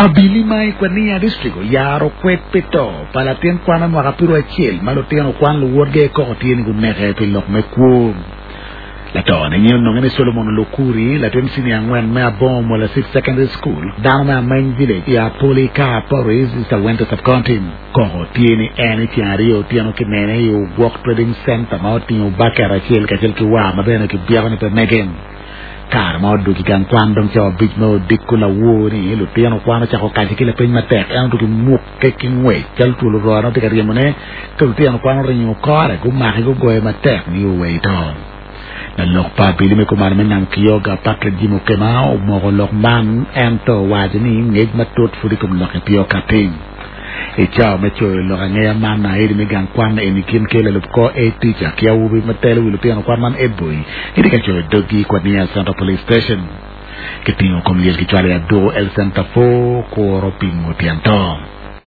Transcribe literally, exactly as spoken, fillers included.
Abili ma i Kwania District oyaro kwed pi to pa latin kwan me mwaka piero acel ma lutino kwan luwotgi koko tye ni guneke pi lok me kwo. Latone nyinge ononge ni Solomon Lokuri, latin senior angwen me Abongo Molasit Secondary School, dano me Ameny Village i Apoli Car Parish, East Awento Sub-County. Koko tye ni en i ceng aryo otyeno kinene i Ogwok Trading Center ma otingo baket acel kacel ki war ma bene kibyeko ni pe mege. Kare ma odwogo i gang kwan dong cawa abic me odiko lawor ni lutino kwan ocako kace ki lapeny matek en otuki mukke ki ngwec calo twol ororo tye ka ryemone ka lutino kwan oringo kore gumake gugoye matek ni owei to. Lalok pa abili me kumalo me nam Kyoga Patrick Jim Okema omoko lok man ento owaco ni ngec matut pud i kom lokke pe okati. I cawa me coyo lok angeya man aedi me gang kwan eni kin ki lalub kor head teacher ki awobi ma telo wi lutino kwan man head boy gitye ka coyo doggi i Kwania Central Police Station. Kitingo kom lyel kicwalo i Aduku Health Center four kuro pimo tyen to.